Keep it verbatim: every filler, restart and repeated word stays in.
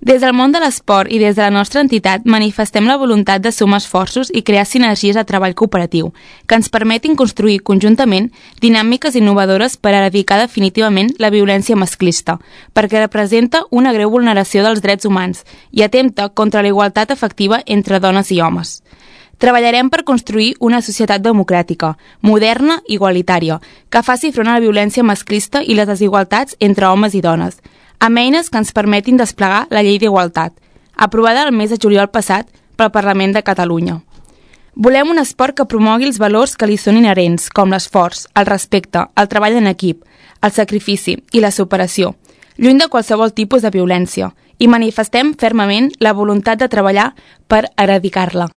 Des del món de l'esport i des de la nostra entitat manifestem la voluntat de sumar esforços i crear sinergies de treball cooperatiu que ens permetin construir conjuntament dinàmiques innovadores per erradicar definitivament la violència masclista, perquè representa una greu vulneració dels drets humans i atempta contra la igualtat efectiva entre dones i homes. Treballarem per construir una societat democràtica, moderna i igualitària, que faci front a la violència masclista i les desigualtats entre homes i dones, amb eines que ens permetin desplegar la Llei d'Igualtat, aprovada el mes de juliol passat pel Parlament de Catalunya. Volem un esport que promogui els valors que li són inherents, com l'esforç, el respecte, el treball en equip, el sacrifici i la superació, lluny de qualsevol tipus de violència, i manifestem fermament la voluntat de treballar per erradicar-la.